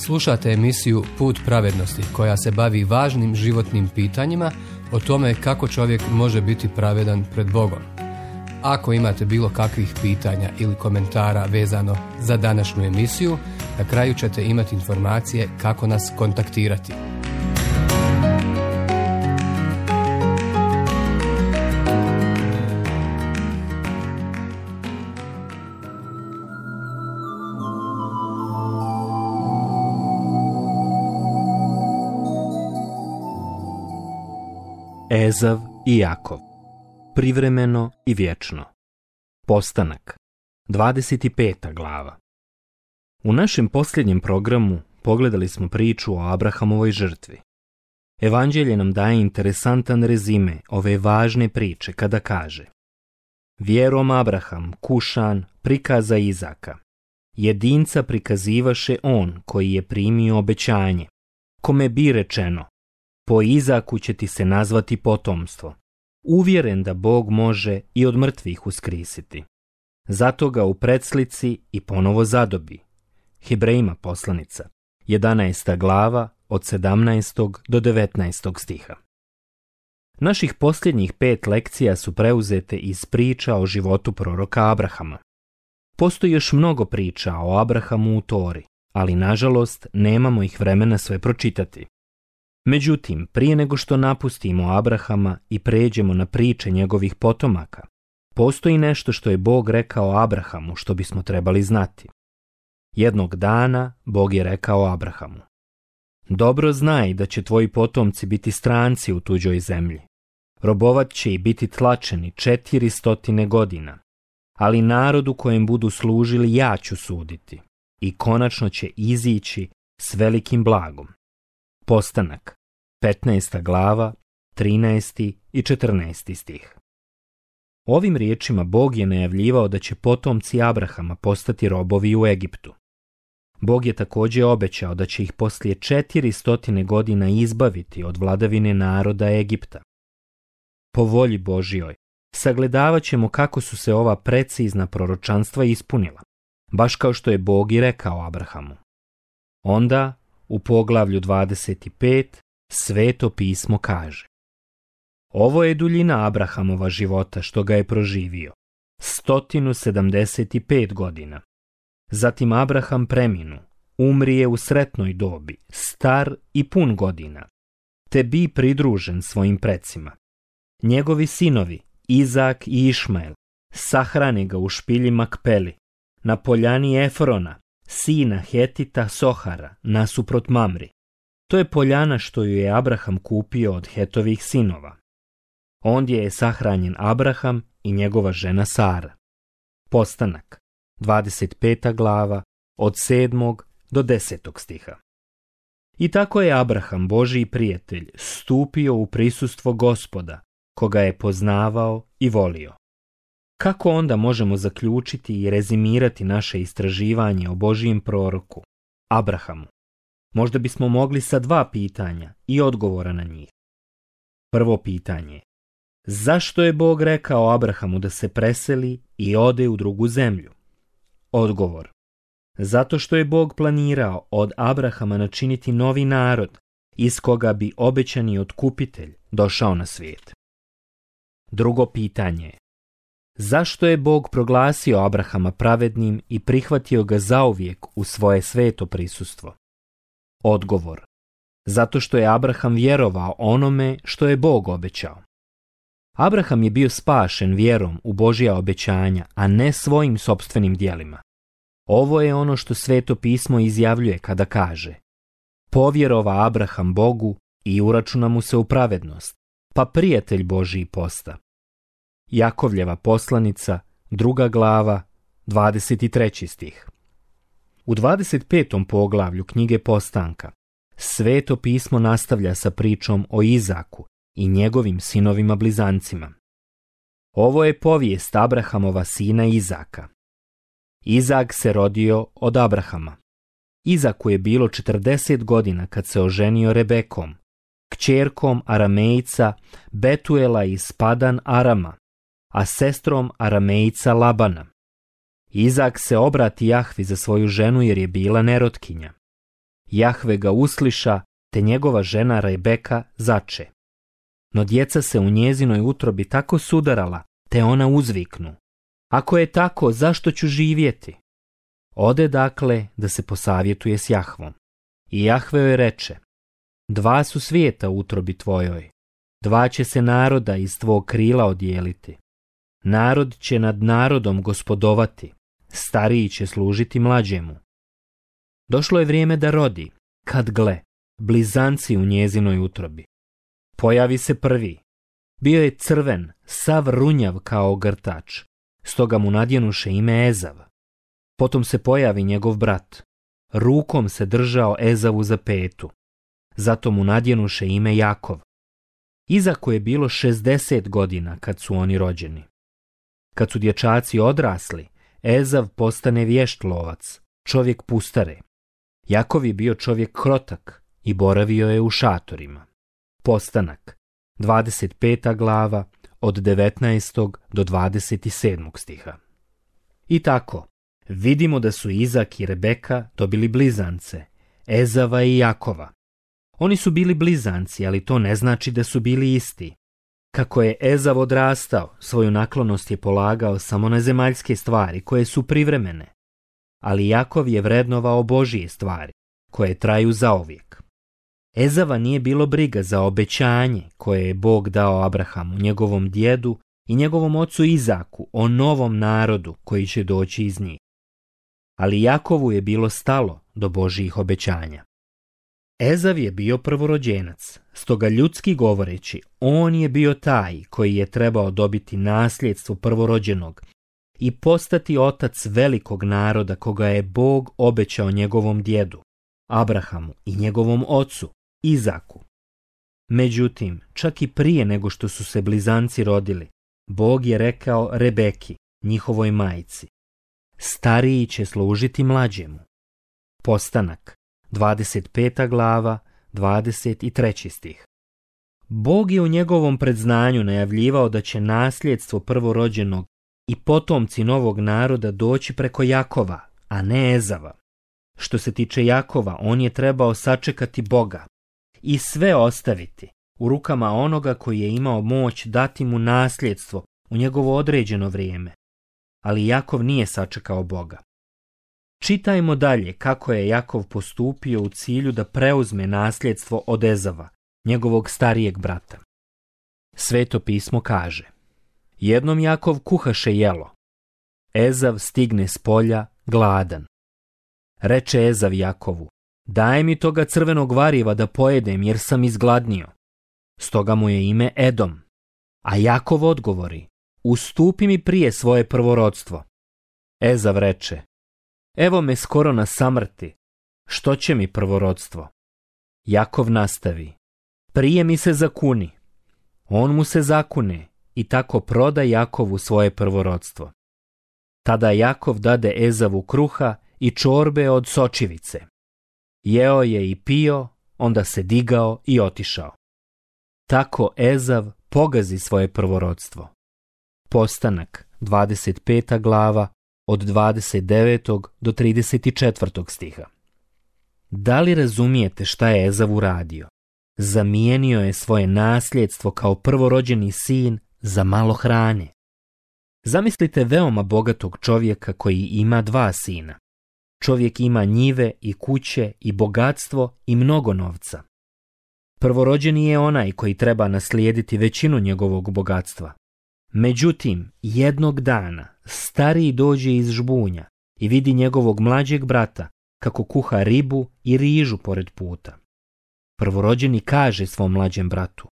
Slušate emisiju Put pravednosti koja se bavi važnim životnim pitanjima o tome kako čovjek može biti pravedan pred Bogom. Ako imate bilo kakvih pitanja ili komentara vezano za današnju emisiju, na kraju ćete imati informacije kako nas kontaktirati. Ezav i Jakov. Privremeno i vječno. Postanak. 25. glava. U našem posljednjem programu pogledali smo priču o Abrahamovoj žrtvi. Evanđelje nam daje interesantan rezime ove važne priče kada kaže: Vjerom Abraham, Kušan, prikaza Izaka. Jedinca prikazivaše on koji je primio obećanje, kome bi rečeno: po Izaku će ti se nazvati potomstvo. Uvjeren da Bog može i od mrtvih uskrisiti. Zato ga u predslici i ponovo zadobi. Hebrejima poslanica, 11. glava, od 17. do 19. stiha. Naših posljednjih 5 lekcija su preuzete iz priča o životu proroka Abrahama. Postoji još mnogo priča o Abrahamu u Tori, ali nažalost nemamo ih vremena sve pročitati. Međutim, prije nego što napustimo Abrahama i pređemo na priče njegovih potomaka, postoji nešto što je Bog rekao Abrahamu što bismo trebali znati. Jednog dana Bog je rekao Abrahamu: dobro znaj da će tvoji potomci biti stranci u tuđoj zemlji. Robovat će i biti tlačeni 400 godina, ali narodu kojem budu služili ja ću suditi i konačno će izići s velikim blagom. Postanak, 15. glava, 13. i 14. stih. Ovim riječima Bog je najavljivao da će potomci Abrahama postati robovi u Egiptu. Bog je također obećao da će ih poslije 400 godina izbaviti od vladavine naroda Egipta. Po volji Božjoj sagledavat ćemo kako su se ova precizna proročanstva ispunila, baš kao što je Bog i rekao Abrahamu. Onda, u poglavlju 25, Sveto pismo kaže: ovo je duljina Abrahamova života što ga je proživio, 175 godina. Zatim Abraham preminu, umrije u sretnoj dobi, star i pun godina, te bi pridružen svojim precima. Njegovi sinovi, Izak i Išmael, sahrane ga u špilji Makpeli, na poljani Efrona, sina Hetita Sohara, nasuprot Mamri. To je poljana što ju je Abraham kupio od Hetovih sinova. Ondje je sahranjen Abraham i njegova žena Sara. Postanak, 25. glava, od 7. do 10. stiha. I tako je Abraham, Božji prijatelj, stupio u prisustvo Gospoda, koga je poznavao i volio. Kako onda možemo zaključiti i rezimirati naše istraživanje o Božijem proroku, Abrahamu? Možda bismo mogli sa 2 pitanja i odgovora na njih. Prvo pitanje: zašto je Bog rekao Abrahamu da se preseli i ode u drugu zemlju? Odgovor: zato što je Bog planirao od Abrahama načiniti novi narod, iz koga bi obećani otkupitelj došao na svijet. Drugo pitanje: zašto je Bog proglasio Abrahama pravednim i prihvatio ga zauvijek u svoje sveto prisustvo? Odgovor: zato što je Abraham vjerovao onome što je Bog obećao. Abraham je bio spašen vjerom u Božja obećanja, a ne svojim sopstvenim djelima. Ovo je ono što Sveto pismo izjavljuje kada kaže: povjerova Abraham Bogu i uračuna mu se u pravednost, pa prijatelj Božji posta. Jakovljeva poslanica, 2. glava, 23. stih. U 25. poglavlju knjige Postanka Sveto pismo nastavlja sa pričom o Izaku i njegovim sinovima blizancima. Ovo je povijest Abrahamova sina Izaka. Izak se rodio od Abrahama. Izaku je bilo 40 godina kad se oženio Rebekom, kćerkom Aramejca Betuela iz Padan Arama, a sestrom Aramejca Labana. Izak se obrati Jahvi za svoju ženu jer je bila nerotkinja. Jahve ga usliša, te njegova žena Rebeka zače. No djeca se u njezinoj utrobi tako sudarala, te ona uzviknu: ako je tako, zašto ću živjeti? Ode dakle da se posavjetuje s Jahvom. I Jahve joj reče: 2 su svijeta u utrobi tvojoj, 2 će se naroda iz tvog krila odijeliti. Narod će nad narodom gospodovati, stariji će služiti mlađemu. Došlo je vrijeme da rodi, kad gle, blizanci u njezinoj utrobi. Pojavi se prvi. Bio je crven, sav runjav kao ogrtač, stoga mu nadjenuše ime Ezav. Potom se pojavi njegov brat. Rukom se držao Ezavu za petu, zato mu nadjenuše ime Jakov. Izaku je bilo 60 godina kad su oni rođeni. Kad su dječaci odrasli, Ezav postane vješt lovac, čovjek pustare. Jakov je bio čovjek krotak i boravio je u šatorima. Postanak, 25. glava, od 19. do 27. stiha. I tako, vidimo da su Izak i Rebeka dobili blizance, Ezava i Jakova. Oni su bili blizanci, ali to ne znači da su bili isti. Kako je Ezav odrastao, svoju naklonost je polagao samo na zemaljske stvari koje su privremene, ali Jakov je vrednovao Božije stvari koje traju zauvijek. Ezava nije bilo briga za obećanje koje je Bog dao Abrahamu, njegovom djedu i njegovom ocu Izaku o novom narodu koji će doći iz njih. Ali Jakovu je bilo stalo do Božijih obećanja. Ezav je bio prvorođenac, stoga ljudski govoreći, on je bio taj koji je trebao dobiti nasljedstvo prvorođenog i postati otac velikog naroda koga je Bog obećao njegovom djedu, Abrahamu i njegovom ocu, Izaku. Međutim, čak i prije nego što su se blizanci rodili, Bog je rekao Rebeki, njihovoj majci: stariji će služiti mlađemu. Postanak, 25. glava, 23. stih. Bog je u njegovom predznanju najavljivao da će nasljedstvo prvorođenog i potomci novog naroda doći preko Jakova, a ne Ezava. Što se tiče Jakova, on je trebao sačekati Boga i sve ostaviti u rukama onoga koji je imao moć dati mu nasljedstvo u njegovo određeno vrijeme. Ali Jakov nije sačekao Boga. Čitajmo dalje kako je Jakov postupio u cilju da preuzme nasljedstvo od Ezava, njegovog starijeg brata. Sveto pismo kaže: jednom Jakov kuhaše jelo. Ezav stigne s polja gladan. Reče Ezav Jakovu: daj mi toga crvenog variva da pojedem jer sam izgladnio. Stoga mu je ime Edom. A Jakov odgovori: ustupi mi prije svoje prvorodstvo. Ezav reče: evo me skoro na samrti, što će mi prvorodstvo? Jakov nastavi: prije mi se zakuni. On mu se zakune i tako proda Jakovu svoje prvorodstvo. Tada Jakov dade Ezavu kruha i čorbe od sočivice. Jeo je i pio, onda se digao i otišao. Tako Ezav pogazi svoje prvorodstvo. Postanak, 25. glava, od 29. do 34. stiha. Da li razumijete šta je Ezav uradio? Zamijenio je svoje nasljedstvo kao prvorođeni sin za malo hrane. Zamislite veoma bogatog čovjeka koji ima 2 sina. Čovjek ima njive i kuće i bogatstvo i mnogo novca. Prvorođeni je onaj koji treba naslijediti većinu njegovog bogatstva. Međutim, jednog dana stariji dođe iz žbunja i vidi njegovog mlađeg brata kako kuha ribu i rižu pored puta. Prvorođeni kaže svom mlađem bratu: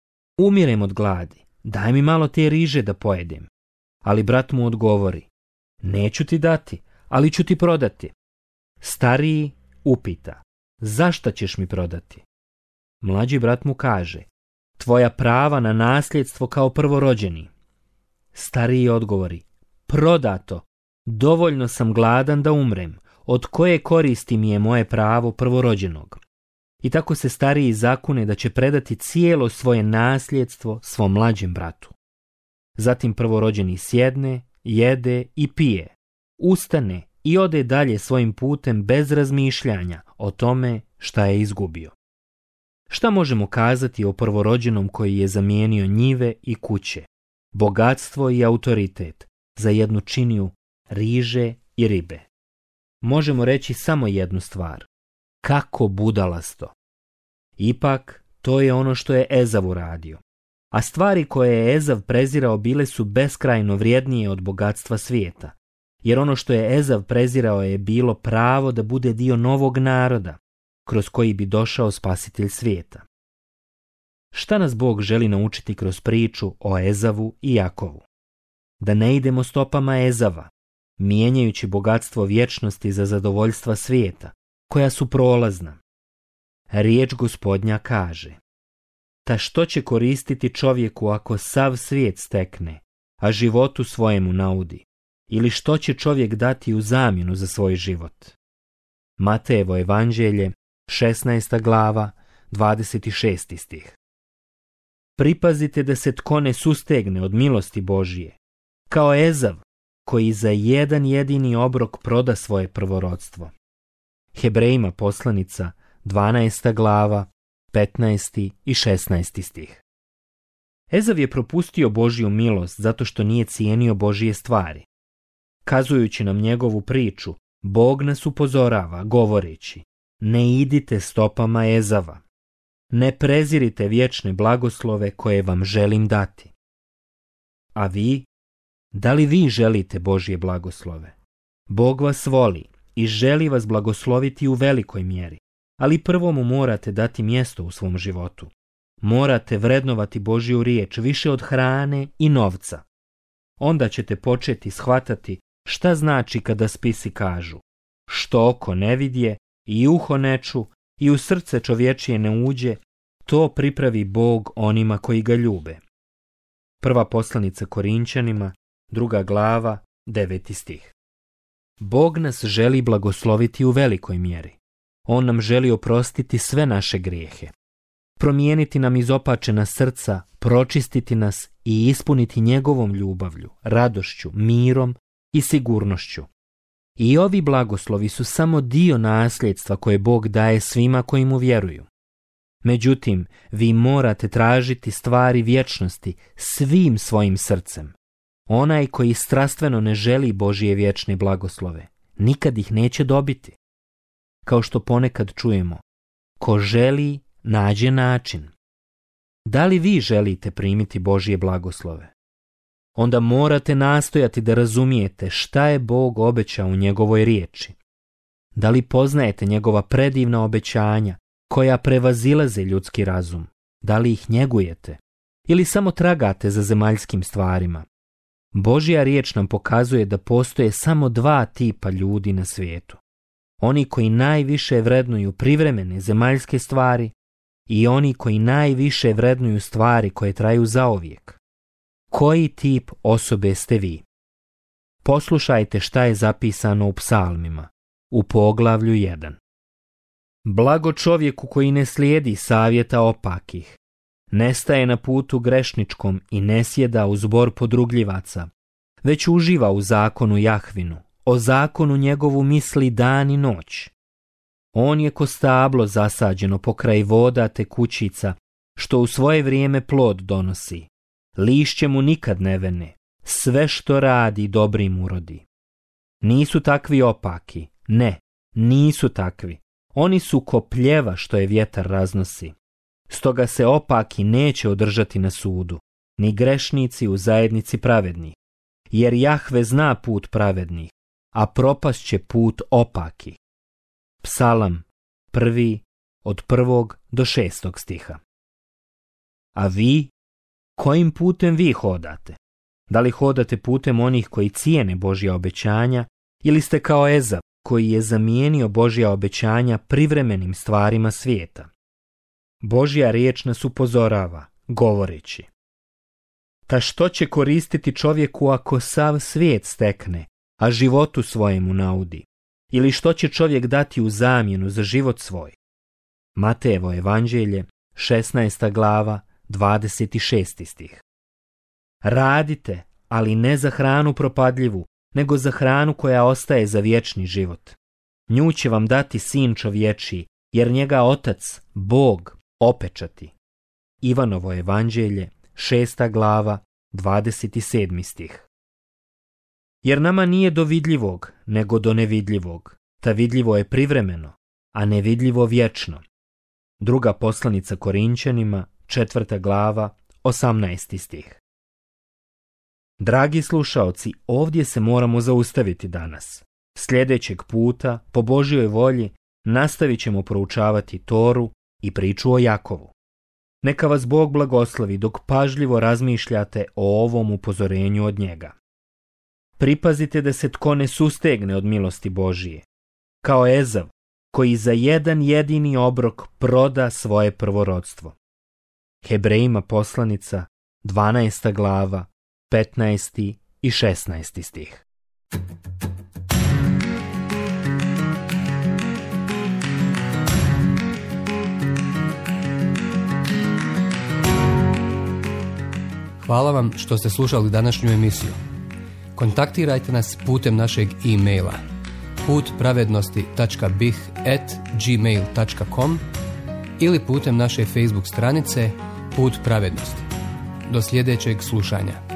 umirem od gladi, daj mi malo te riže da pojedem. Ali brat mu odgovori: neću ti dati, ali ću ti prodati. Stariji upita: zašto ćeš mi prodati? Mlađi brat mu kaže: tvoja prava na nasljedstvo kao prvorođeni. Stariji odgovori: prodato, dovoljno sam gladan da umrem, od koje koristi mi je moje pravo prvorođenog? I tako se stariji zakune da će predati cijelo svoje nasljedstvo svom mlađem bratu. Zatim prvorođeni sjedne, jede i pije, ustane i ode dalje svojim putem bez razmišljanja o tome šta je izgubio. Šta možemo kazati o prvorođenom koji je zamijenio njive i kuće, bogatstvo i autoritet za jednu činiju riže i ribe? Možemo reći samo jednu stvar. Kako budalasto! Ipak, to je ono što je Ezav uradio. A stvari koje je Ezav prezirao bile su beskrajno vrijednije od bogatstva svijeta. Jer ono što je Ezav prezirao je bilo pravo da bude dio novog naroda, kroz koji bi došao spasitelj svijeta. Šta nas Bog želi naučiti kroz priču o Ezavu i Jakovu? Da ne idemo stopama Ezava, mijenjajući bogatstvo vječnosti za zadovoljstva svijeta, koja su prolazna. Riječ Gospodnja kaže: ta što će koristiti čovjeku ako sav svijet stekne, a životu svojemu naudi? Ili što će čovjek dati u zamjenu za svoj život? Matejevo evanđelje, 16. glava, 26. stih. Pripazite da se tko ne sustegne od milosti Božije, kao Ezav, koji za jedan jedini obrok proda svoje prvorodstvo. Hebrejima poslanica, 12. glava, 15. i 16. stih. Ezav je propustio Božju milost zato što nije cijenio Božje stvari. Kazujući nam njegovu priču, Bog nas upozorava govoreći: ne idite stopama Ezava. Ne prezirite vječne blagoslove koje vam želim dati. A vi? Da li vi želite Božje blagoslove? Bog vas voli i želi vas blagosloviti u velikoj mjeri, ali prvo mu morate dati mjesto u svom životu. Morate vrednovati Božju riječ više od hrane i novca. Onda ćete početi shvatati šta znači kada spisi kažu: što oko ne vidje i uho ne ču i u srce čovječije ne uđe, to pripravi Bog onima koji ga ljube. Prva poslanica Korinčanima, 2. glava, 9. stih. Bog nas želi blagosloviti u velikoj mjeri. On nam želi oprostiti sve naše grijehe, promijeniti nam izopačena srca, pročistiti nas i ispuniti njegovom ljubavlju, radošću, mirom i sigurnošću. I ovi blagoslovi su samo dio nasljedstva koje Bog daje svima koji mu vjeruju. Međutim, vi morate tražiti stvari vječnosti svim svojim srcem. Onaj koji strastveno ne želi Božje vječne blagoslove, nikad ih neće dobiti. Kao što ponekad čujemo: ko želi, nađe način. Da li vi želite primiti Božje blagoslove? Onda morate nastojati da razumijete šta je Bog obećao u njegovoj riječi. Da li poznajete njegova predivna obećanja koja prevazilaze ljudski razum? Da li ih njegujete? Ili samo tragate za zemaljskim stvarima? Božja riječ nam pokazuje da postoje samo dva tipa ljudi na svijetu. Oni koji najviše vrednuju privremene zemaljske stvari i oni koji najviše vrednuju stvari koje traju zauvijek. Koji tip osobe ste vi? Poslušajte šta je zapisano u psalmima, u poglavlju 1. Blago čovjeku koji ne slijedi savjeta opakih, ne staje na putu grešničkom i ne sjeda u zbor podrugljivaca, već uživa u zakonu Jahvinu, o zakonu njegovu misli dan i noć. On je ko stablo zasađeno pokraj voda tekućica, što u svoje vrijeme plod donosi. Lišće mu nikad ne vene, sve što radi dobrim urodi. Nisu takvi opaki, ne, nisu takvi. Oni su ko pljeva što je vjetar raznosi. Stoga se opaki neće održati na sudu, ni grešnici u zajednici pravednih. Jer Jahve zna put pravednih, a propast će put opaki. Psalam 1. od 1. do 6. stiha. A vi, kojim putem vi hodate? Da li hodate putem onih koji cijene Božja obećanja, ili ste kao Ezav, koji je zamijenio Božja obećanja privremenim stvarima svijeta? Božja riječ nas upozorava, govoreći: ta što će koristiti čovjeku ako sav svijet stekne, a životu svojemu naudi? Ili što će čovjek dati u zamjenu za život svoj? Matejevo evanđelje, 16. glava, 26. stih. Radite, ali ne za hranu propadljivu, nego za hranu koja ostaje za vječni život. Nju će vam dati Sin čovječiji, jer njega Otac, Bog, opečati. Ivanovo evanđelje, 6. glava, 27. stih. Jer nama nije do vidljivog, nego do nevidljivog. Ta vidljivo je privremeno, a nevidljivo vječno. Druga poslanica Korinćanima, 4. glava, 18. stih. Dragi slušaoci, ovdje se moramo zaustaviti danas. Sljedećeg puta, po Božjoj volji, nastavit ćemo proučavati Toru i priču o Jakovu. Neka vas Bog blagoslovi dok pažljivo razmišljate o ovom upozorenju od njega. Pripazite da se tko ne sustegne od milosti Božije, kao Ezav, koji za jedan jedini obrok proda svoje prvorodstvo. Hebrejima poslanica, 12. glava, 15. i 16. stih. Hvala vam što ste slušali današnju emisiju. Kontaktirajte nas putem našeg e-maila putpravednosti.bih@gmail.com ili putem naše Facebook stranice Put pravednosti. Do sljedećeg slušanja.